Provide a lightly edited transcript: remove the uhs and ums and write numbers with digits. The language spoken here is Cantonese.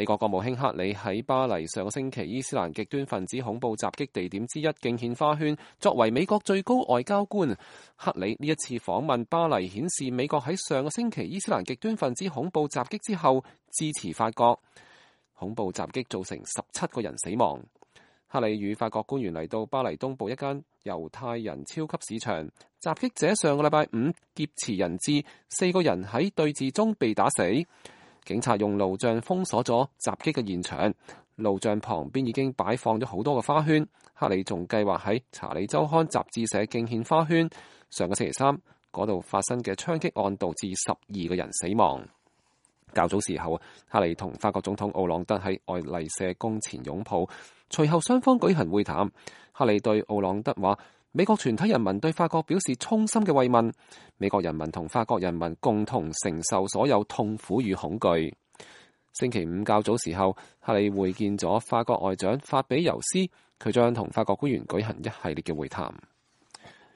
美國國務卿克里喺巴黎上個星期伊斯蘭極端分子恐怖襲擊地點之一敬獻花圈。作為美國最高外交官，克里呢一次訪問巴黎，顯示美國喺上個星期伊斯蘭極端分子恐怖襲擊之後支持法國。恐怖襲擊造成17個人死亡。克里與法國官員嚟到巴黎東部一間猶太人超級市場，襲擊者上個禮拜五劫持人質，4個人喺對峙中被打死。警察用路障封鎖咗襲擊嘅現場，路障旁邊已經擺放咗好多個花圈。克里仲計劃喺查理周刊雜誌社敬獻花圈。上個星期三嗰度發生嘅槍擊案導致12個人死亡。較早時候，克里同法國總統奧朗德喺愛麗舍宮前擁抱，隨後雙方舉行會談。克里對奧朗德話：美國全體人民對法國表示衷心嘅慰問，美國人民同法國人民共同承受所有痛苦與恐懼。星期五較早時候，克里會見咗法國外長法比尤斯，佢將同法國官員舉行一系列嘅會談。